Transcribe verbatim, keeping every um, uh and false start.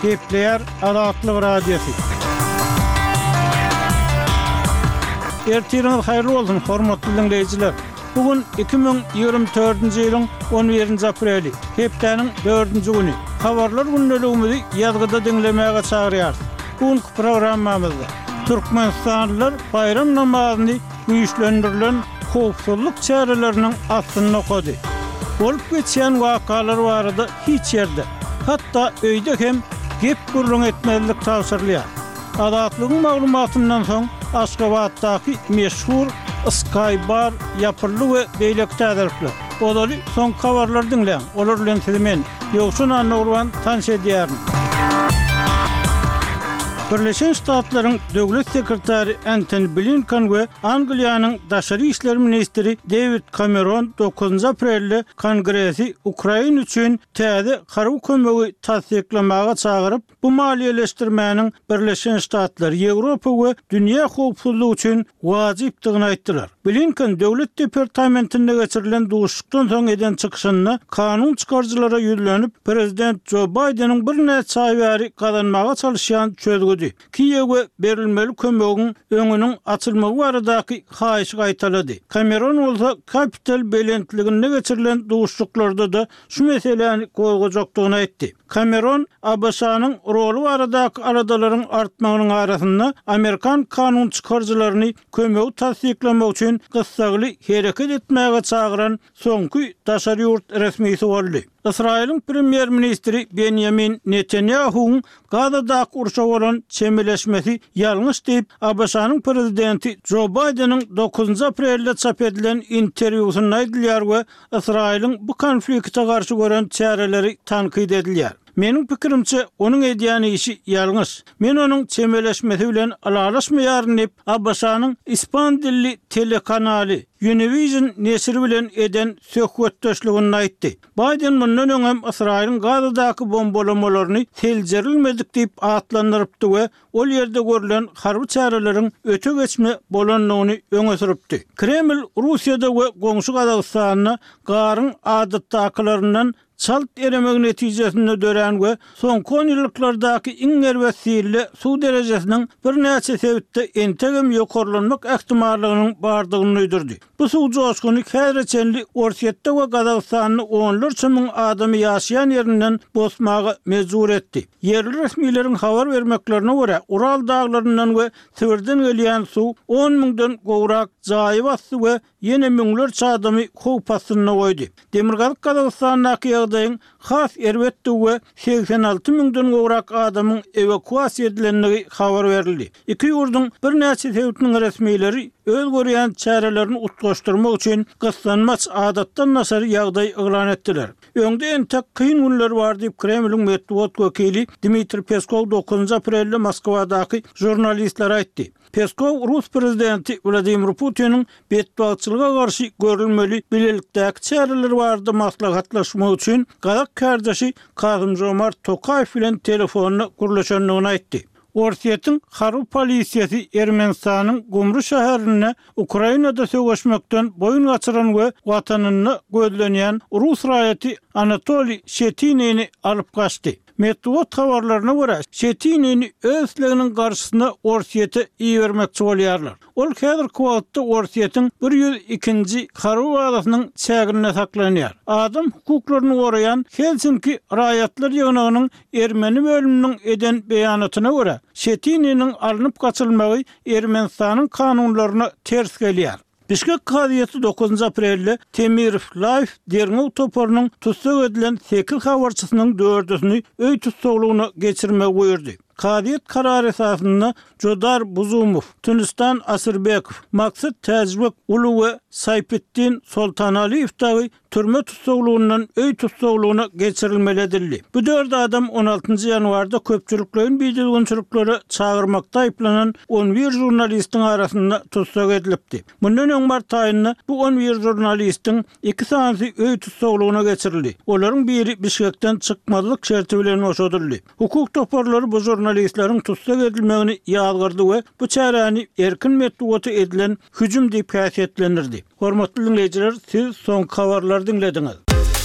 Gepleýär Azatlyk Radiosy. Ertiriňiz haýyrly bolsun, hormatly diňleýjiler! Bu gün iki müň ýigrimi dördünji ýylyň on birinji apreli, hepdäniň dördünji güni. Habarlar gündeligimizi ýazgyda diňlemäge çagyrýarys. Bu günki programmamyzda türkmenistanlylar baýram namazyny güýçlendirilen howpsuzlyk çäreleriniň astynda okady. Bolup geçýän wakalar barada hiç ýerde, hatda öýde hem gep-gürrüň etmezlik tabşyrylýar. Azatlygyň maglumatyndan soň Aşgabatdaky meşhur Sky Bar ýapyldy we beýleki täzelikler. Ozaly soňky habarlary diňläň, olar bilen sizi men, Ýowşan Annagurban tanyş edýärin. Birleşen Ştatlaryň Döwlet sekretary Entoni Blinken we Angliýanyň daşary işler ministri Dewid Kameron dokuzynjy aprelde Kongresi Ukraina üçin täze harby kömegi tassyklamaga çagyryp, bu maliýeleşdirmäniň Birleşen Ştatlar, Ýewropa we dünýä howpsuzlygy üçin wajypdygyny aýtdylar. Blinken Döwlet departamentinde geçirilen duşuşykdan soň eden çykyşynda kanun çykaryjylara ýüzlenip, prezident Jo Baýdeniň birnäçe aý bäri gazanmaga çalyşýan çözgüdi, Kiýewe berilmeli kömegiň öňüniň açylmagy baradaky haýyşy gaýtalady. Kameron bolsa Kapitol belentliginde geçirilen duşuşyklarda-da şu meseläni gozgajakdygyny aýtdy. Kameron ABŞ-nyň roly baradaky aladalaryň artmagynyň arasynda amerikan kanun çykaryjylaryny kömegi tassyklamak üçin gyssagly hereket etmäge çagyran soňky daşary ýurt resmisi boldy. Ysraýylyň premýer-ministri Benýamin Netanýahuwyň Gazadaky urşa bolan çemeleşmesi ýalňyş diýip, ABŞ-nyň prezidenti Jo Baýdeniň dokuzynjy aprelde çap edilen interwýusynda aýdylýar we Ysraýylyň bu konflikte garşy gören çäreleri tankyt edilýär. Meniň pikirimçe, onuň edýän işi ýalňyş. Men onuň çemeleşmesi bilen ylalaşmaýaryn diýip, ABŞ-nyň ispan dilli telekanaly Univision neşiri bilen eden söhbetdeşliginde aýtdy. Baýden mundan öň hem Ysraýylyň Gazadaky bombalamalaryny seljerilmedik diýip atlandyrypdy we ol ýerde görlen harby çäreleriň öte geçme bolandygyny öňe sürüpdi. Kreml Russiýada we goňşy Gazagystanda garyň adatdakylaryndan çalt eremegi netijesinde dörän we soňky onýyllyklardaky iň erbet silde suw derejesiniň birnäçe sebitde entegem ýokarlanmak ähtimallygynyň bardygyny duýdurdy. Bu suw joşguny häzire çenli Orsýetde we Gazagystanda onlarça müň adamy ýaşaýan ýerinden bosmaga mejbur etdi. Ýerli resmileriň habar bermeklerine görä, Ural daglaryndan we Sibirden gelýän suw on müňden gowrak jaýy basdy we ýene müňlerçe adamy howp astynda goýdy. Demirgazyk Gazagystandaky ýagdaýyň has erbetdigi we segsen alty müňden gowrak adamyň ewakuasiýa edilendigi habar berildi. Iki ýurduň birnäçe sebitiniň resmileri öz görýän çärelerini utgaşdyrmak üçin gyssanmaç adatdan daşary ýagdaý yglan etdiler. Öňde entek kyn günler bar diýip, Kremliň metbugat wekili Dmitriý Peskow dokuzynjy aprelde Moskwadaky žurnalistlere aýtdy. Peskow rus prezidenti Wladimir Putiniň betbagtçylyga garşy görülmeli bilelikdäki çäreler barada maslahatlaşmak üçin gazak kärdeşi Kasym-Žomart Tokaýew bilen telefonda gürleşendigini aýtdy. Orsýetiň harby polisiýasy Ermenistanyň Gumry şäherinde Ukrainada söweşmekden boýun gaçyran we watanynda gözlenýän rus raýaty Anatoliý Şetinini alyp gaçdy. Metbugat habarlaryna görä, Şetinini öz isleginiň garşysyna Orsýete ibermekçi bolýarlar. Ol häzirki wagtda Orsýetiň bir ýüz ikinji harby bazasynyň çäginde saklanýar. Adam hukuklaryny goraýan Helsinki raýatlar ýygnagynyň ermeni bölüminiň eden beýanatyna görä, Şetininiň alnyp gaçylmagy Ermenistanyň kanunlaryna ters gelýär. Bişkek kazyýeti dokuzynjy aprelde Temirow Life derňew toparynyň tussag edilen sekiz habarçysynyň dördüsini öý tussaglygyna geçirmegi buýurdy. Kazyýet karary esasynda Jodar Buzumow, Tunistan Asyrbekow, Maksat Täjibek uly we Saýpitdin Soltanaliýew dagy türme tussaglygyndan öý tussaglygyna geçirilmeli edildi. Bu dört adam on altynjy ýanwarda köpçülikleýin bidüzgünçiliklere çagyrmakda aýyplanan on bir žurnalistiň arasynda tussag edilipdi. Mundan öň mart aýynda bu on bir žurnalistiň iki sanysy öý tussaglygyna geçirildi. Olaryň biri Bişkekden çykmazlyk şerti bilen boşadyldy. Hukuk toparlary bu žurnalistleriň tussag edilmegini ýazgardy we bu çäräni erkin metbugata edilen hüjüm diýip häsiýetlendirdi. Hormatly diňleýjiler, siz soňky habarlary diňlediňiz.